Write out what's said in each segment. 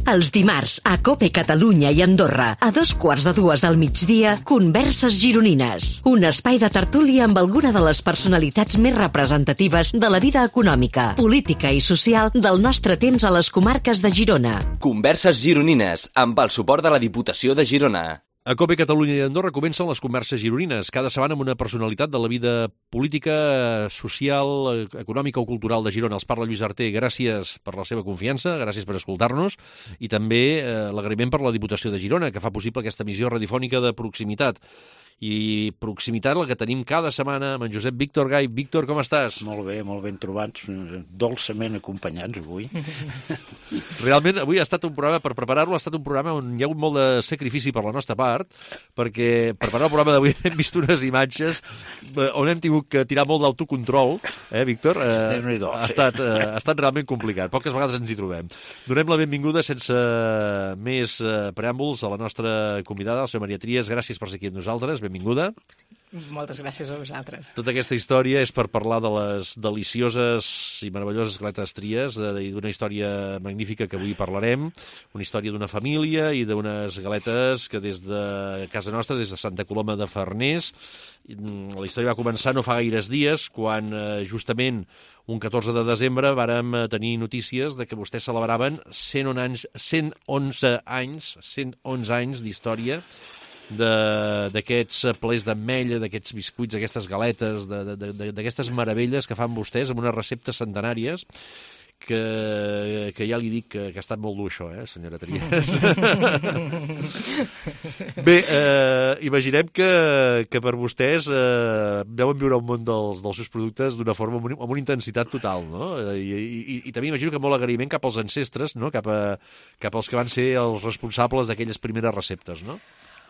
Els dimarts, a COPE Catalunya i Andorra, a 2:15 del migdia, Converses Gironines. Un espai de tertúlia amb alguna de les personalitats més representatives de la vida econòmica, política i social del nostre temps a les comarques de Girona. Converses Gironines, amb el suport de la Diputació de Girona. A COPE Catalunya i Andorra comencen les converses gironines, cada setmana amb una personalitat de la vida política, social, econòmica o cultural de Girona. Els parla Lluís Arter. Gràcies per la seva confiança, gràcies per escoltar-nos i també l'agraïment per la Diputació de Girona, que fa possible aquesta emissió radiofònica de proximitat. I proximitat la que tenim cada setmana amb en Josep Víctor Gai. Víctor, com estàs? Molt ben trobats, dolçament acompanyats avui. Realment, avui ha estat un programa, per preparar-lo, ha estat un programa on hi ha hagut molt de sacrifici per la nostra part, perquè per preparar el programa d'avui hem vist unes imatges on hem tingut que tirar molt d'autocontrol, Víctor? Ha estat realment complicat. Poques vegades ens hi trobem. Donem la benvinguda, sense més preàmbuls, a la nostra convidada, la senyora Maria Trias. Gràcies per ser aquí amb nosaltres. Benvinguda. Moltes gràcies a vosaltres. Tota aquesta història és per parlar de les delicioses i meravelloses galetes Trias i d'una història magnífica que avui parlarem, una història d'una família i d'unes galetes que des de casa nostra, des de Santa Coloma de Farners, la història va començar no fa gaires dies, quan justament un 14 de desembre vàrem tenir notícies de que vostès celebraven 111 anys d'història d'aquests plets d'ametlla, d'aquests biscuits, d'aquestes galetes, d'aquestes meravelles que fan vostès amb unes receptes centenàries que ja li dic que ha estat molt dur això, senyora Trias. Bé, imaginem que per vostès deuen viure un món dels seus productes d'una forma amb una intensitat total, no? I també imagino que molt agraïment cap als ancestres, no? Cap als que van ser els responsables d'aquelles primeres receptes, no?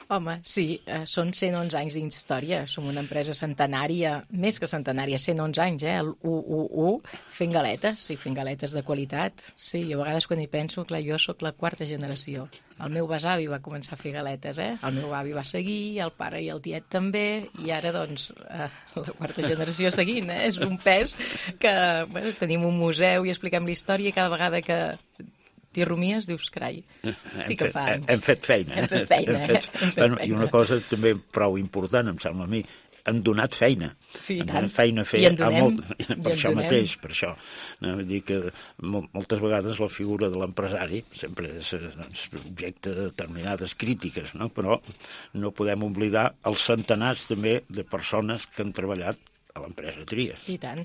Home, sí, són 111 anys d'història, som una empresa centenària, més que centenària, 111 anys, el 111, fent galetes, i fent galetes de qualitat. Sí, jo a vegades quan hi penso, clar, jo sóc la quarta generació. El meu besavi va començar a fer galetes, el meu avi va seguir, el pare i el tiet també, i ara, doncs, la quarta generació seguint, És un pes que, bueno, tenim un museu i expliquem la història i cada vegada que t'hi rumies, dius, carai, sí que fa anys. Hem fet feina. I una cosa també prou important, em sembla a mi, han donat feina. Sí, han donat feina a fer per això mateix, per això. Vull dir que moltes vegades la figura de l'empresari sempre és objecte de determinades crítiques, no? Però no podem oblidar els centenars també de persones que han treballat a l'empresa Trias. I tant.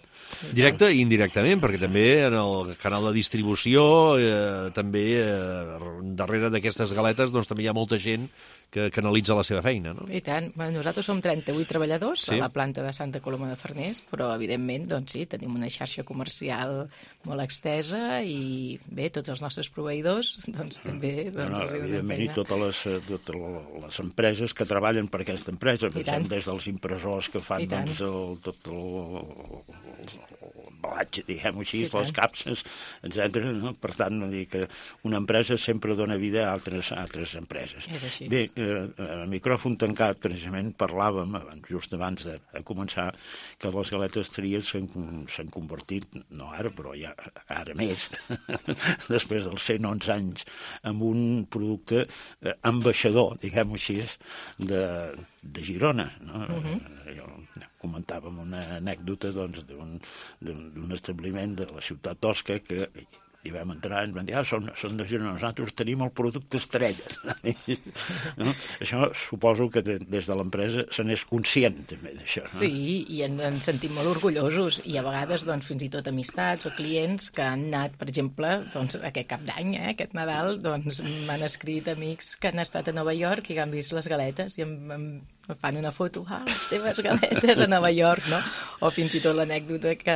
Directe i indirectament, perquè també en el canal de distribució, també darrere d'aquestes galetes, doncs també hi ha molta gent que analitza la seva feina, no? I tant. Bueno, nosaltres som 38 treballadors a la planta de Santa Coloma de Farners, però evidentment, doncs sí, tenim una xarxa comercial molt extesa i bé, tots els nostres proveïdors, doncs també... Evidentment, i totes les empreses que treballen per aquesta empresa, des dels impressors que fan tot l'embalatge, diguem-ho així, les capses, etc. Per tant, dir que una empresa sempre dona vida a altres empreses. És així. Bé, a micròfon tancat, precisament, parlàvem, just abans de començar, que les galetes Trias s'han convertit, no ara, però ja ara més, després dels 111 anys, en un producte ambaixador, diguem-ho així, de Girona, no? Comentàvem una anècdota d'un establiment de la ciutat d'Osca que hi vam entrar i ens van dir, són de Girona, nosaltres tenim el producte estrella. No? Això suposo que des de l'empresa se n'és conscient també d'això. No? Sí, i ens sentim molt orgullosos i a vegades doncs, fins i tot amistats o clients que han anat, per exemple, doncs, aquest cap d'any, aquest Nadal, doncs m'han escrit amics que han estat a Nova York i que han vist les galetes i em fan una foto, les teves galetes a Nova York, no? O fins i tot l'anècdota que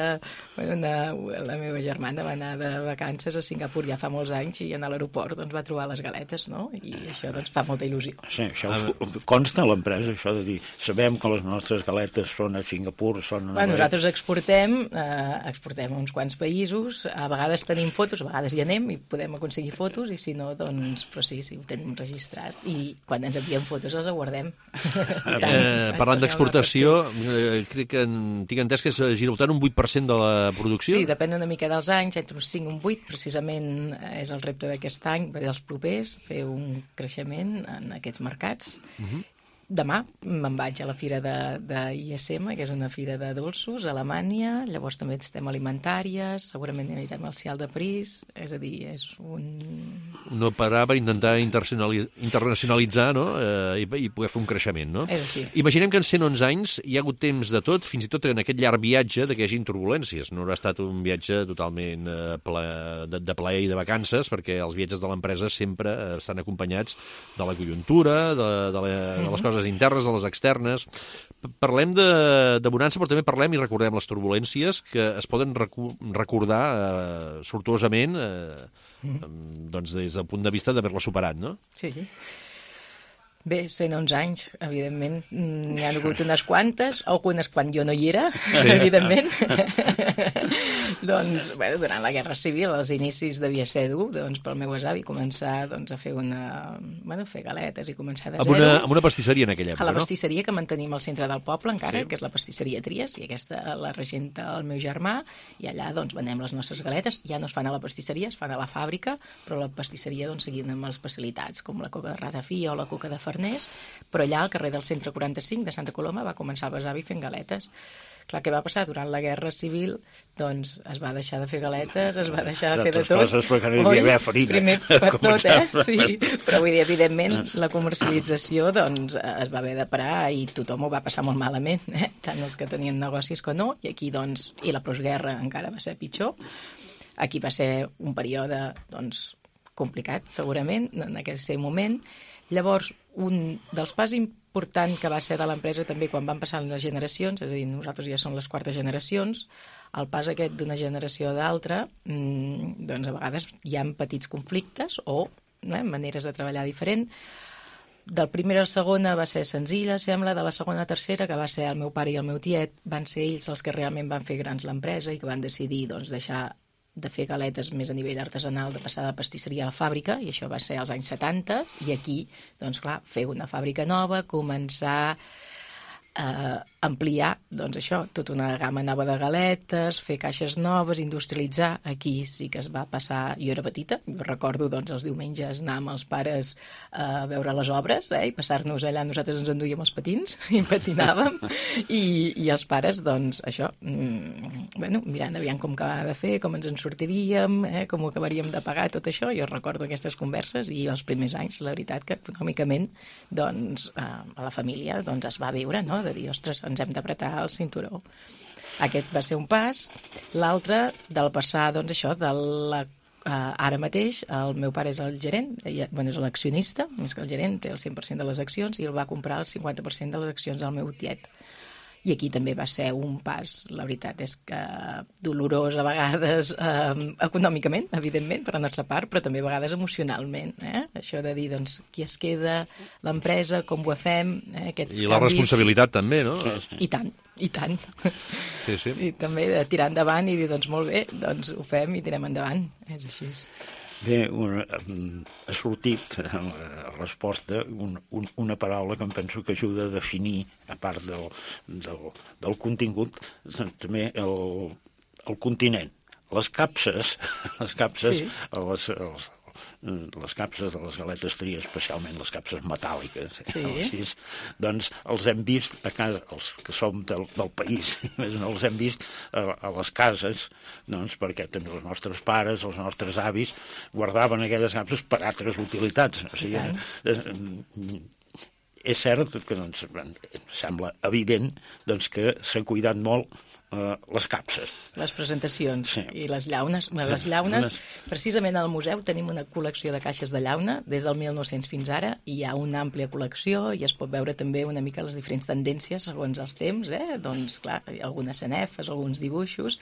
la meva germana va anar de vacances a Singapur ja fa molts anys i a l'aeroport doncs, va trobar les galetes, no? I això doncs, fa molta il·lusió. Sí, això consta a l'empresa, això de dir, sabem que les nostres galetes són a Singapur, són a Nova York. Nosaltres exportem a uns quants països, a vegades tenim fotos, a vegades hi anem i podem aconseguir fotos i si no, doncs, però sí, ho tenim registrat i quan ens envien fotos les guardem. Parlant d'exportació, crec que tinc entès que es gira al voltant un 8% de la producció. Sí, depèn una mica dels anys, entre un 5 i un 8, precisament és el repte d'aquest any, dels propers, fer un creixement en aquests mercats. Demà me'n vaig a la fira de ISM, que és una fira de dolços, a Alemanya, llavors també estem alimentàries, segurament anirem al Cial de París, és a dir, és un... No parar per intentar internacionalitzar, no? I poder fer un creixement, no? És així. Imaginem que en 111 anys hi ha hagut temps de tot, fins i tot en aquest llarg viatge, que hi hagi turbulències. No haurà estat un viatge totalment de plaer i de vacances, perquè els viatges de l'empresa sempre estan acompanyats de la conjuntura, de les coses internes, de les externes. Parlem de bonança, però també parlem i recordem les turbulències que es poden recordar sortuosament doncs des del punt de vista d'haver-la superat, no? Sí. Bé, 111 anys, evidentment, n'hi ha hagut unes quantes, algunes quan jo no hi era, evidentment. Doncs, bueno, durant la Guerra Civil, als inicis devia ser dur, doncs, pel meu avi començar doncs, a fer fer galetes i començar de zero. Amb una pastisseria en aquella època, no? A la no? pastisseria que mantenim al centre del poble encara, Sí. que és la pastisseria Tries, i aquesta la regenta el meu germà, i allà doncs venem les nostres galetes, ja no es fan a la pastisseria, es fan a la fàbrica, però la pastisseria doncs seguint amb les especialitats, com la coca de ratafia o la coca de Farners, però allà al carrer del Centre 45 de Santa Coloma va començar el besavi fent galetes. Clar, què va passar? Durant la Guerra Civil, doncs, es va deixar de fer galetes, es va deixar de fer de tot. Coses perquè no hi havia haver farina. Primer per tot, Sí, però vull dir, evidentment, la comercialització, doncs, es va haver de parar i tothom ho va passar molt malament, tant els que tenien negocis que no, i aquí, doncs, i la postguerra encara va ser pitjor. Aquí va ser un període, doncs, complicat, segurament, en aquell moment. Llavors, un dels pas importants que va ser de l'empresa també quan van passar les generacions, és a dir, nosaltres ja som les quartes generacions, el pas aquest d'una generació a l'altra, doncs a vegades hi ha petits conflictes o maneres de treballar diferent. Del primer a la segona va ser senzilla, sembla, de la segona a tercera, que va ser el meu pare i el meu tiet, van ser ells els que realment van fer grans l'empresa i que van decidir doncs, deixar de fer galetes més a nivell artesanal, de passar de pastisseria a la fàbrica, i això va ser als anys 70, i aquí, doncs clar, fer una fàbrica nova, començar a ampliar, doncs això, tota una gamma nova de galetes, fer caixes noves, industrialitzar. Aquí sí que es va passar... Jo era petita, jo recordo doncs, els diumenges anar amb els pares a veure les obres, i passar-nos allà, nosaltres ens enduíem els patins i patinàvem, i els pares, doncs, això, mirant aviam com acabava de fer, com ens en sortiríem, com ho acabaríem de pagar, tot això. Jo recordo aquestes converses i els primers anys, la veritat que econòmicament, doncs, a la família doncs, es va viure, no?, de dir, ostres, ens hem d'apretar el cinturó. Aquest va ser un pas. L'altre, del passar, doncs això, ara mateix, el meu pare és el gerent, és l'accionista, més que el gerent, té el 100% de les accions, i el va comprar el 50% de les accions del meu tiet. I aquí també va ser un pas, la veritat és que dolorós a vegades, econòmicament, evidentment, per la nostra part, però també a vegades emocionalment. Això de dir, doncs, qui es queda, l'empresa, com ho fem, aquests canvis... I la responsabilitat també, no? I tant, i tant. Sí, sí. I també de tirar endavant i dir, doncs molt bé, doncs ho fem i tirem endavant. És així. Bé, ha sortit a la resposta una paraula que em penso que ajuda a definir, a part del contingut, també el continent. Les capses, Sí. les capses de les galetes Tries, especialment les capses metàl·liques, Sí. doncs els hem vist a casa, els que som del país, els hem vist a les cases, doncs perquè també els nostres pares, els nostres avis, guardaven aquelles capses per altres utilitats. O sigui, és cert que doncs, sembla evident doncs, que s'ha cuidat molt les capses. Les presentacions, Sí. I les llaunes. Les llaunes, precisament al museu tenim una col·lecció de caixes de llauna des del 1900 fins ara, i hi ha una àmplia col·lecció i es pot veure també una mica les diferents tendències segons els temps, doncs clar, hi ha algunes sanefes, alguns dibuixos,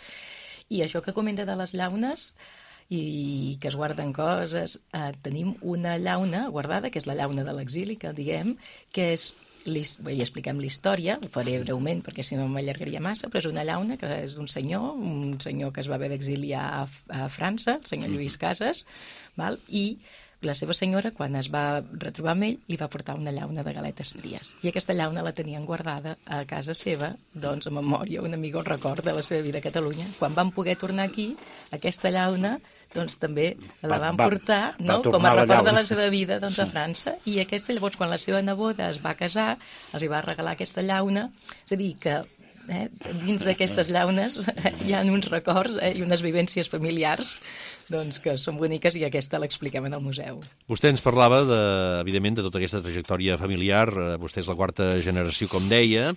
i això que comenta de les llaunes i que es guarden coses, tenim una llauna guardada, que és la llauna de l'exili, que diguem, que és i expliquem la història, ho faré breument perquè si no m'allargaria massa, però és una llauna que és un senyor que es va haver d'exiliar a França, el senyor Lluís Casas, val? I la seva senyora, quan es va retrobar amb ell, li va portar una llauna de galetes Tries. I aquesta llauna la tenien guardada a casa seva, doncs, a memòria, un amic el record de la seva vida a Catalunya. Quan van poder tornar aquí, aquesta llauna doncs també la van portar com a record de la seva vida doncs, a França, i aquesta, llavors, quan la seva neboda es va casar, els hi va regalar aquesta llauna, és a dir, que dins d'aquestes llaunes hi ha uns records i unes vivències familiars doncs, que són boniques, i aquesta l'expliquem en el museu. Vostè ens parlava, evidentment, de tota aquesta trajectòria familiar. Vostè és la quarta generació, com deia,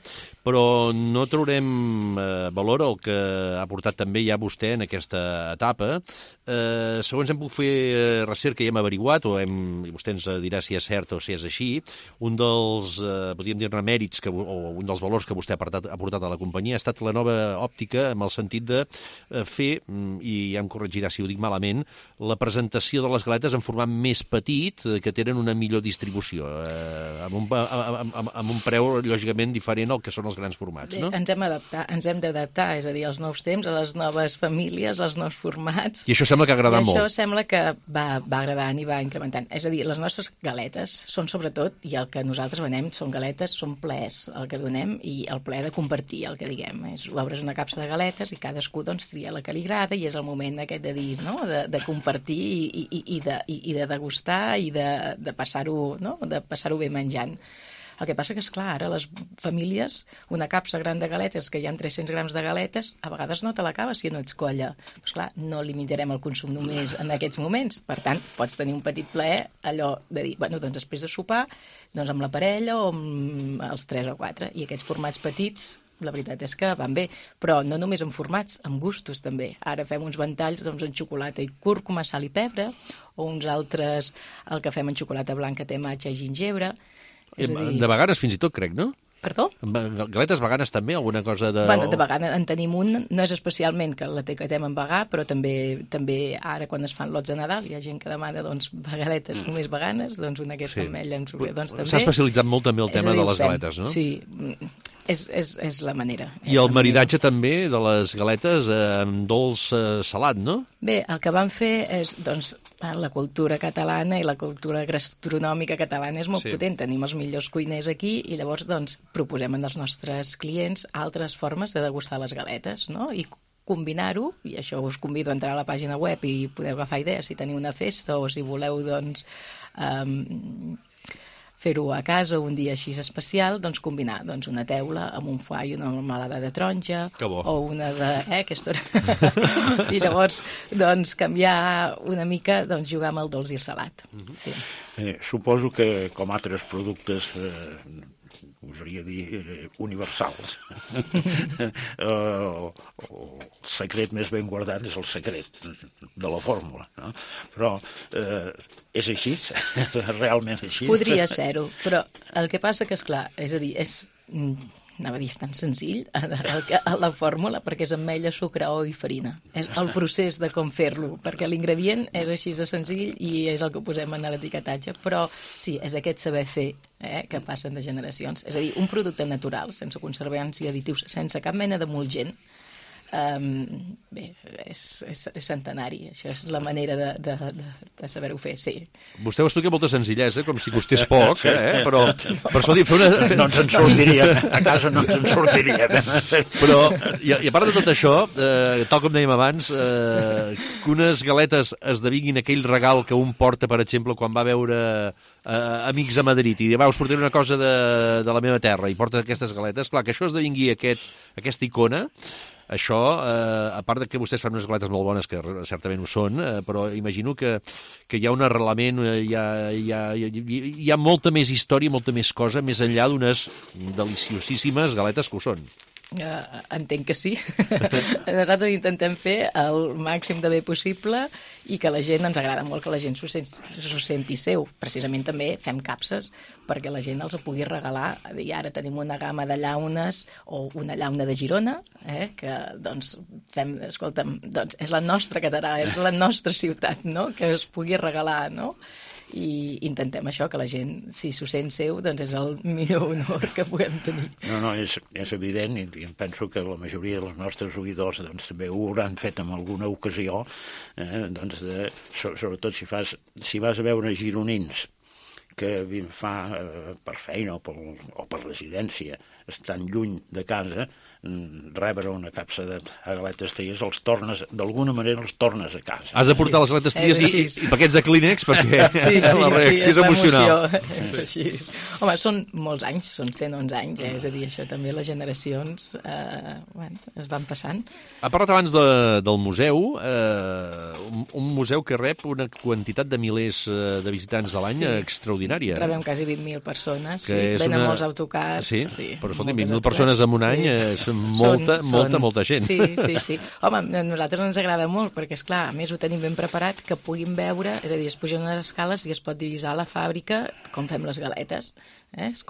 però no traurem valor al que ha portat també ja vostè en aquesta etapa. Segons hem pogut fer recerca i hem averiguat, i vostè ens dirà si és cert o si és així, un dels, podríem dir-ne, mèrits o un dels valors que vostè ha portat a la companyia ha estat la nova òptica, en el sentit de fer, i ja em corregirà si ho dic malament, la presentació de les galetes en format més petit, que tenen una millor distribució, amb un preu, lògicament, diferent al que són els grans formats, no? Ens hem d'adaptar, és a dir, als nous temps, a les noves famílies, als nous formats. I això sembla que ha agradat molt. I això sembla que va agradant i va incrementant. És a dir, les nostres galetes són sobretot, i el que nosaltres venem són galetes, són plaers, el que donem, i el plaer de compartir, el que diguem. Obres una capsa de galetes i cadascú doncs tria la que li agrada, i és el moment aquest de dir, no?, de compartir i de degustar i de passar-ho bé menjant. El que passa que, esclar, ara les famílies, una capsa gran de galetes, que hi ha 300 grams de galetes, a vegades no te l'acabes si no ets colla. Però, esclar, no limitarem el consum només en aquests moments. Per tant, pots tenir un petit plaer, allò de dir, bueno, doncs després de sopar, doncs amb la parella o amb els 3 o 4. I aquests formats petits, la veritat és que van bé, però no només en formats, en gustos també. Ara fem uns ventalls doncs, en xocolata i cúrcuma, sal i pebre, o uns altres, el que fem en xocolata blanca té matxa i gingebre. De vegades fins i tot, crec, no? Perdó? Galetes veganes també, alguna cosa de... Bueno, de vegana en tenim un, no és especialment que la tecatem en vegà, però també ara quan es fan lots de Nadal hi ha gent que demana doncs galetes només veganes, doncs una aquesta ametlla amb sucre, doncs també... S'ha especialitzat molt també el tema de les galetes, no? Sí, és la manera. I el maridatge també de les galetes amb dolç salat, no? Bé, el que vam fer és, doncs, la cultura catalana i la cultura gastronòmica catalana és molt potent. Tenim els millors cuiners aquí i llavors, doncs, proposem als nostres clients altres formes de degustar les galetes, no? I combinar-ho, i això us convido a entrar a la pàgina web i podeu agafar idees si teniu una festa o si voleu, doncs, fer-ho a casa un dia així especial, doncs combinar doncs, una teula amb un foie i una melmelada de taronja, o una de... aquesta hora. I llavors, doncs, canviar una mica, doncs, jugar amb el dolç i el salat. Sí. Suposo que, com altres productes, gosaria dir universals. El secret més ben guardat és el secret de la fórmula, no? Però és així? Realment així? Podria ser-ho, però el que passa que, esclar, és a dir, anava a dir, és tan senzill la fórmula, perquè és ametlla, sucre, ou i farina. És el procés de com fer-lo, perquè l'ingredient és així de senzill i és el que posem en l'etiquetatge, però sí, és aquest saber fer que passen de generacions. És a dir, un producte natural, sense conservants i additius, sense cap mena d'emulgent, bé, és centenari. Això és la manera de saber-ho fer, sí. Vostè ho explica amb molta senzillesa, com si costés poc, però per això dir, fer una... No ens en sortiríem, a casa no ens en sortiríem. Però, i a part de tot això, tal com dèiem abans, que unes galetes esdevinguin aquell regal que un porta, per exemple, quan va veure amics a Madrid i va, us portaré una cosa de la meva terra i porta aquestes galetes, clar, que això esdevingui aquesta icona. Això, a part de que vostès fan unes galetes molt bones, que certament ho són, però imagino que hi ha un arrelament, hi ha molta més història, molta més cosa, més enllà d'unes deliciosíssimes galetes que ho són. Entenc que sí. Nosaltres intentem fer el màxim de bé possible i que la gent, ens agrada molt que la gent s'ho senti seu. Precisament també fem capses perquè la gent els pugui regalar. I ara tenim una gamma de llaunes o una llauna de Girona, que doncs fem, escolta'm, doncs és la nostra catedral, és la nostra ciutat, no?, que es pugui regalar, no? i intentem això, que la gent, si s'ho sent seu, doncs és el millor honor que puguem tenir. No, és evident, i em penso que la majoria dels nostres oïdors doncs, també ho hauran fet en alguna ocasió, doncs, sobretot si vas a veure gironins que fa per feina o per residència, estan lluny de casa, rebre una capsa de galetes tries, d'alguna manera els tornes a casa. Has de portar les galetes tries i paquets de Kleenex perquè la reacció és emocional. És així. Home, són molts anys, són 111 anys, és a dir, això també les generacions es van passant. Ha parlat abans del museu, un museu que rep una quantitat de milers de visitants a l'any extraordinària. Rebem quasi 20.000 persones, venen molts autocars. Sí, però escolta, 20.000 persones en un any és molta gent. Sí. Home, a nosaltres ens agrada molt, perquè, esclar, a més ho tenim ben preparat, que puguin veure, és a dir, es pugen unes escales i es pot divisar la fàbrica com fem les galetes. És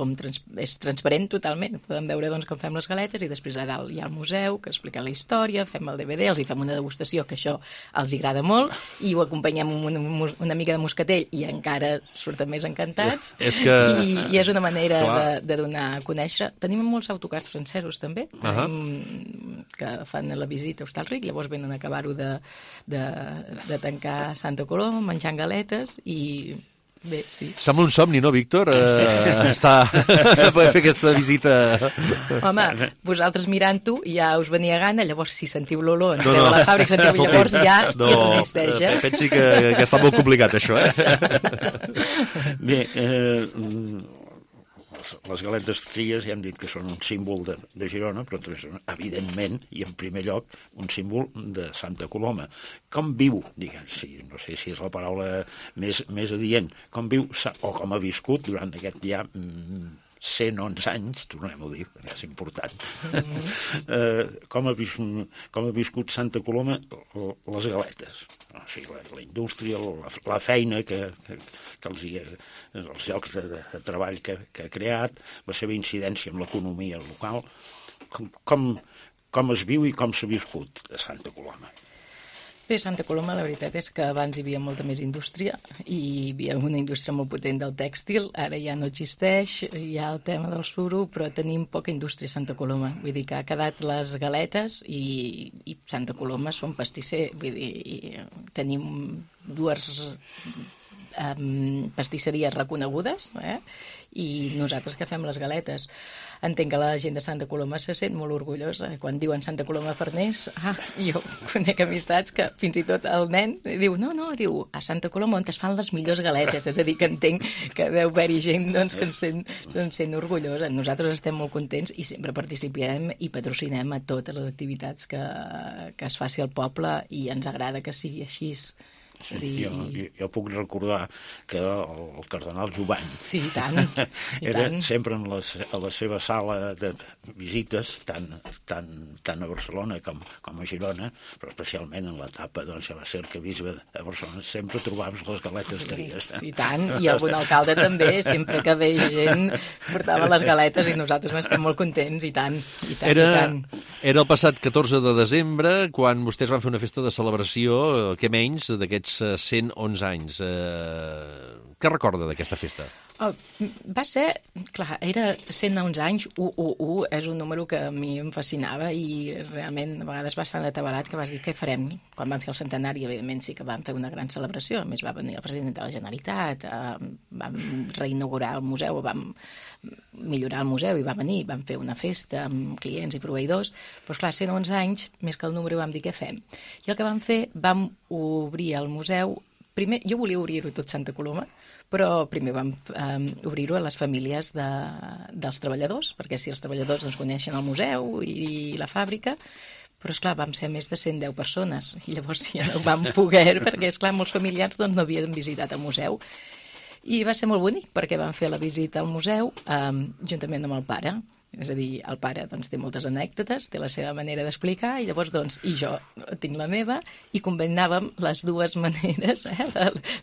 transparent totalment. Podem veure doncs, com fem les galetes i després a dalt hi ha el museu, que explica la història, fem el DVD, els hi fem una degustació, que això els agrada molt, i ho acompanyem amb una mica de moscatell i encara surten més encantats. I és una manera de donar a conèixer. Tenim molts autocars francesos, també, que fan la visita a Hostalric, llavors venen a acabar-ho de tancar Santa Coloma, menjant galetes i... Bé, sí. Sembla un somni, no, Víctor? Poder fer aquesta visita... Home, vosaltres mirant-ho ja us venia gana, llavors si sentiu l'olor, entreu a la fàbrica, llavors ja hi resisteix, Pensi que està molt complicat, això, Bé, les galetes tries ja hem dit que són un símbol de Girona, però també són, evidentment, i en primer lloc, un símbol de Santa Coloma. Com viu, diguem, no sé si és la paraula més adient, com viu o com ha viscut durant aquest ja 111 anys, tornem-ho a dir, perquè és important, com ha viscut Santa Coloma les galetes. O sigui, la indústria, la feina els llocs de treball que ha creat, la seva incidència en l'economia local, com es viu i com s'ha viscut a Santa Coloma. Bé, Santa Coloma, la veritat és que abans hi havia molta més indústria i hi havia una indústria molt potent del tèxtil, ara ja no existeix, hi ha el tema del suro, però tenim poca indústria a Santa Coloma. Vull dir que ha quedat les galetes i Santa Coloma són pastisser, vull dir, tenim dues pastisseries reconegudes i nosaltres que fem les galetes. Entenc que la gent de Santa Coloma se sent molt orgullosa. Quan diuen Santa Coloma Farners, jo conec amistats que fins i tot el nen diu, diu, a Santa Coloma on es fan les millors galetes. És a dir, que entenc que deu haver-hi gent doncs, que se'n sent orgullosa. Nosaltres estem molt contents i sempre participem i patrocinem a totes les activitats que es faci al poble i ens agrada que sigui així. Sí, jo puc recordar que el cardenal Jovany era sempre a la seva sala de visites, tant a Barcelona com a Girona, però especialment en l'etapa ja va ser arquebisbe a Barcelona, sempre trobaves les galetes tries. Sí, tant, i algun alcalde també, sempre que ve gent portava les galetes i nosaltres n'estem molt contents, i tant. Era el passat 14 de desembre, quan vostès van fer una festa de celebració, què menys, d'aquests 111 anys. Què recorda d'aquesta festa? Va ser, clar, era 111 anys, 111 és un número que a mi em fascinava i realment a vegades bastant atabalat, que vas dir, què farem? Quan vam fer el centenari, evidentment sí que vam fer una gran celebració, a més va venir el president de la Generalitat, vam reinaugurar el museu, vam millorar el museu i va venir, vam fer una festa amb clients i proveïdors, però esclar, 111 anys, més que el número vam dir, què fem? I el que vam fer, vam obrir el museu. Primer, jo volia obrir-ho tot Santa Coloma, però primer vam obrir-ho a les famílies dels treballadors, perquè si els treballadors ens coneixen el museu i la fàbrica, però esclar, vam ser més de 110 persones, i llavors ja no vam poder, perquè esclar, molts familiars no havien visitat el museu. I va ser molt bonic, perquè vam fer la visita al museu juntament amb el pare. És a dir, el pare doncs, té moltes anècdotes, té la seva manera d'explicar, i llavors i jo tinc la meva, i combinàvem les dues maneres,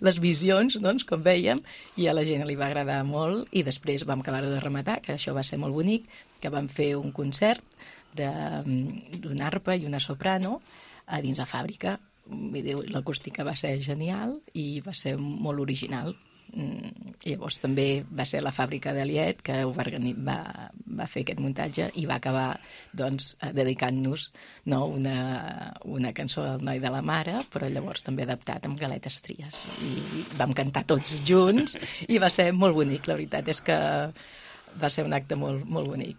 les visions, doncs, com vèiem, i a la gent li va agradar molt, i després vam acabar de rematar, que això va ser molt bonic, que vam fer un concert d'una arpa i una soprano a dins la fàbrica. L'acústica va ser genial i va ser molt original. Llavors també va ser la fàbrica d'Aliet que va fer aquest muntatge i va acabar dedicant-nos una cançó del Noi de la Mare, però llavors també adaptat amb Galetes Tries. I vam cantar tots junts i va ser molt bonic. La veritat és que va ser un acte molt, molt bonic.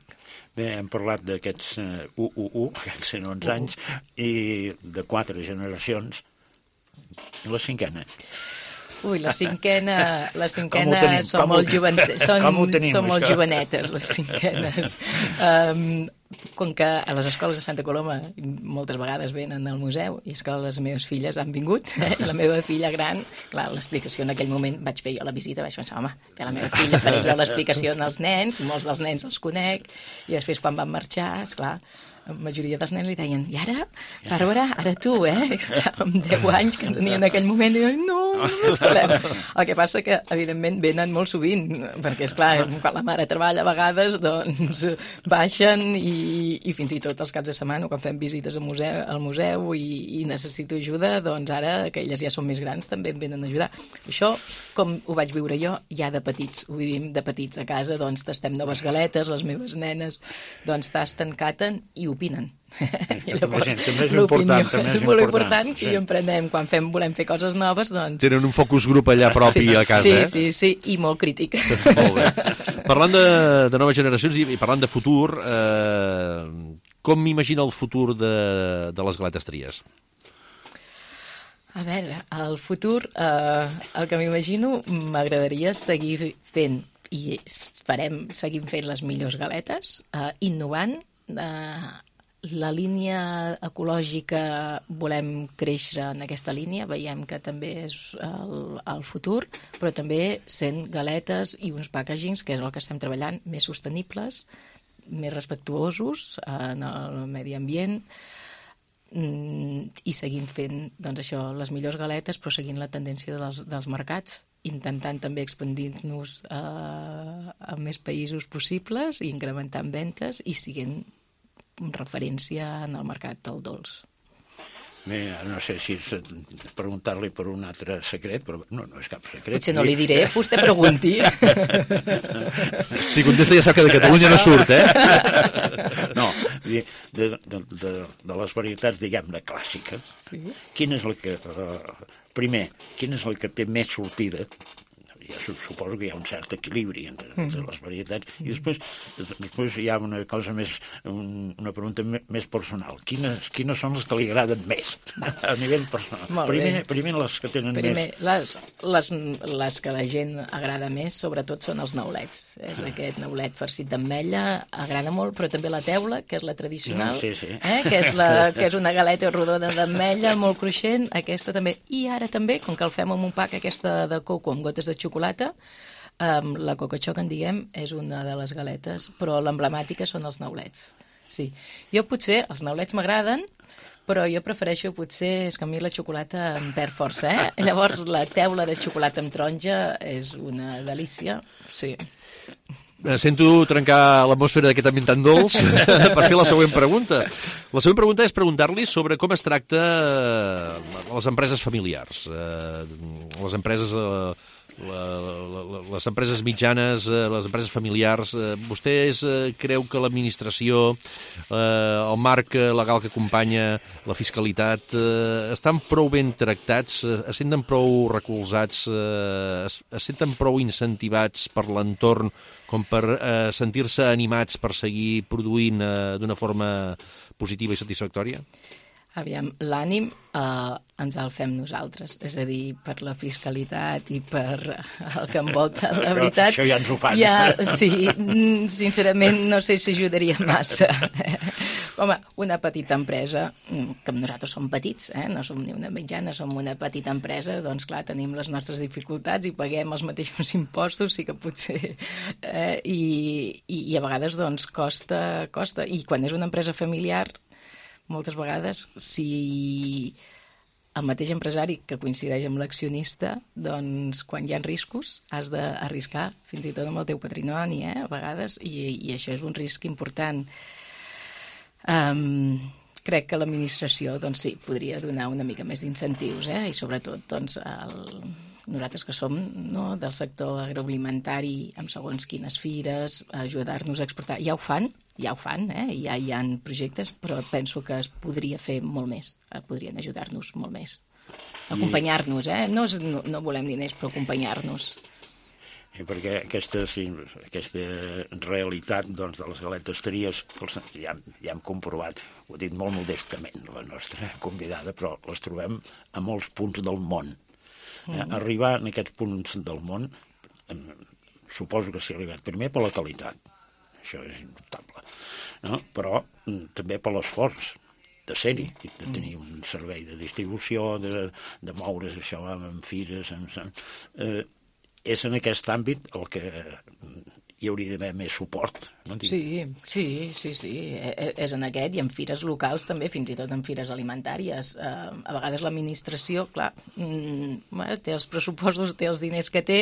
Bé, hem parlat d'aquests aquests 111 anys, i de 4 generacions. La cinquena. Ui, la cinquena són molt jovenetes, les cinquenes. Com que a les escoles de Santa Coloma moltes vegades venen al museu, i és que les meves filles han vingut, i la meva filla gran, clar, l'explicació en aquell moment vaig fer jo la visita, vaig pensar, home, a la meva filla faré jo l'explicació als nens, molts dels nens els conec, i després quan van marxar, esclar, la majoria dels nens li deien, i ara, Bàrbara, ara tu, amb 10 anys que tenia en aquell moment, i jo, no parlem. El que passa que, evidentment, venen molt sovint, perquè, esclar, quan la mare treballa a vegades, doncs baixen i fins i tot els caps de setmana, quan fem visites al museu i necessito ajuda, doncs ara, que elles ja són més grans, també em venen a ajudar. Això, com ho vaig viure jo, ja de petits, ho vivim de petits a casa, doncs tastem noves galetes, les meves nenes, doncs tasten, caten i opinen. I llavors, l'opinió és molt important que hi emprenem quan volem fer coses noves, doncs... Tenen un focus grup allà propi a casa, Sí, i molt crític. Molt bé. Parlant de noves generacions i parlant de futur, com m'imagina el futur de les Galetes Tries? A veure, el futur, el que m'imagino, m'agradaria seguir fent, i seguim fent les millors galetes, innovant, la línia ecològica volem créixer en aquesta línia, veiem que també és el futur, però també sent galetes i uns packagings, que és el que estem treballant, més sostenibles, més respectuosos en el medi ambient, i seguint fent doncs això, les millors galetes, però seguint la tendència dels mercats, intentant també expandir-nos a més països possibles i incrementant ventes i siguent referència en el mercat del dolç. Bé, no sé si preguntar-li per un altre secret, però no és cap secret. Potser no li diré, vostè pregunti. Si contesta ja sap que de Catalunya no surt, No, de les varietats, diguem-ne, clàssiques, quina és la que... Primer, quina és la que té més sortida? Jo suposo que hi ha un cert equilibri entre les varietats. I després hi ha una cosa més, una pregunta més personal. Quines són les que li agraden més a nivell personal? Primer les que tenen més... Les que la gent agrada més, sobretot, són els neulets. És aquest neulet farcit d'ametlla, agrada molt, però també la teula, que és la tradicional, que és una galeta rodona d'ametlla, molt cruixent, aquesta també. I ara també, com que el fem amb un pack, aquesta de coco amb gotes de xocolata, la Coco Choc, en diguem, és una de les galetes, però l'emblemàtica són els neulets. Sí. Jo potser, els neulets m'agraden, però jo prefereixo potser, és que a mi la xocolata em perd força, Llavors la teula de xocolata amb taronja és una delícia, sí. Sento trencar l'atmosfera d'aquest ambient tan dolç per fer la següent pregunta. La següent pregunta és preguntar-li sobre com es tracta les empreses familiars, les empreses... les empreses mitjanes, les empreses familiars. Vostès creu que l'administració, el marc legal que acompanya la fiscalitat, estan prou ben tractats, es senten prou recolzats, es senten prou incentivats per l'entorn com per sentir-se animats per seguir produint d'una forma positiva i satisfactòria? Aviam, l'ànim ens el fem nosaltres, és a dir, per la fiscalitat i per el que envolta la veritat. Això ja ens ho fan. Sí, sincerament no sé si ajudaria massa. Home, una petita empresa, que nosaltres som petits, no som ni una mitjana, som una petita empresa, doncs clar, tenim les nostres dificultats i paguem els mateixos impostos, sí que potser... I a vegades doncs costa. I quan és una empresa familiar, moltes vegades, si el mateix empresari que coincideix amb l'accionista, doncs quan hi ha riscos has d'arriscar fins i tot amb el teu patrimoni, a vegades, i això és un risc important. Crec que l'administració, doncs sí, podria donar una mica més d'incentius, i sobretot, doncs, nosaltres que som del sector agroalimentari amb segons quines fires, ajudar-nos a exportar. Ja ho fan, ja hi ha projectes, però penso que es podria fer molt més, podrien ajudar-nos molt més. Acompanyar-nos, no volem diners, però acompanyar-nos. Perquè aquesta realitat de les galetes tries ja hem comprovat, ho he dit molt modestament, la nostra convidada, però les trobem a molts punts del món. Arribar en aquests punts del món, suposo que s'hi ha arribat primer per la qualitat, això és indubtable, no? Però també per l'esforç de ser-hi, de tenir un servei de distribució, de moure's això amb fires, és en aquest àmbit el que hi hauria d'haver més suport. No? Sí. És en aquest i en fires locals també, fins i tot en fires alimentàries. A vegades l'administració, clar, té els pressupostos, té els diners que té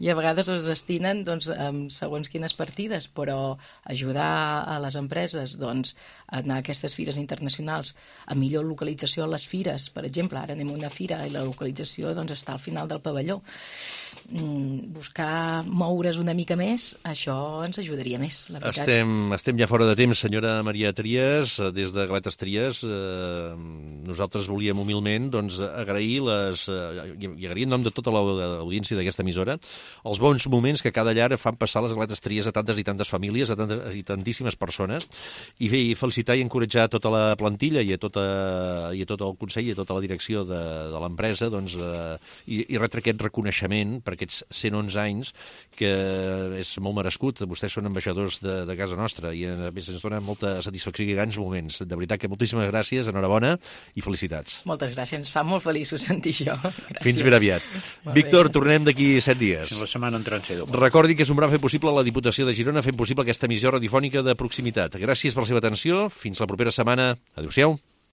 i a vegades els destinen amb segons quines partides, però ajudar a les empreses a anar a aquestes fires internacionals, a millor localització a les fires. Per exemple, ara anem a una fira i la localització està al final del pavelló. Buscar moure's una mica més, això ens ajudaria més, la veritat. Estem ja fora de temps, senyora Maria Trias, des de Galetes Trias. Nosaltres volíem humilment agrair i agrair en nom de tota l'audiència d'aquesta emissora els bons moments que cada llar fan passar les Galetes Trias a tantes i tantes famílies, i tantíssimes persones, i felicitar i encoratjar tota la plantilla i a tot el Consell i a tota la direcció de l'empresa i retre aquest reconeixement per aquests 111 anys que és molt merescut. Vostès són ambaixadors de casa nostra i a més ens dona molta satisfacció i grans moments. De veritat que moltíssimes gràcies, enhorabona i felicitats. Moltes gràcies, ens fa molt feliços sentir això. Gràcies. Fins ben aviat. Víctor, tornem d'aquí 7 dies. La setmana entrant ser doble. Recordi que és un gran fer possible la Diputació de Girona fent possible aquesta emissió radiofònica de proximitat. Gràcies per la seva atenció. Fins la propera setmana. Adéu-siau.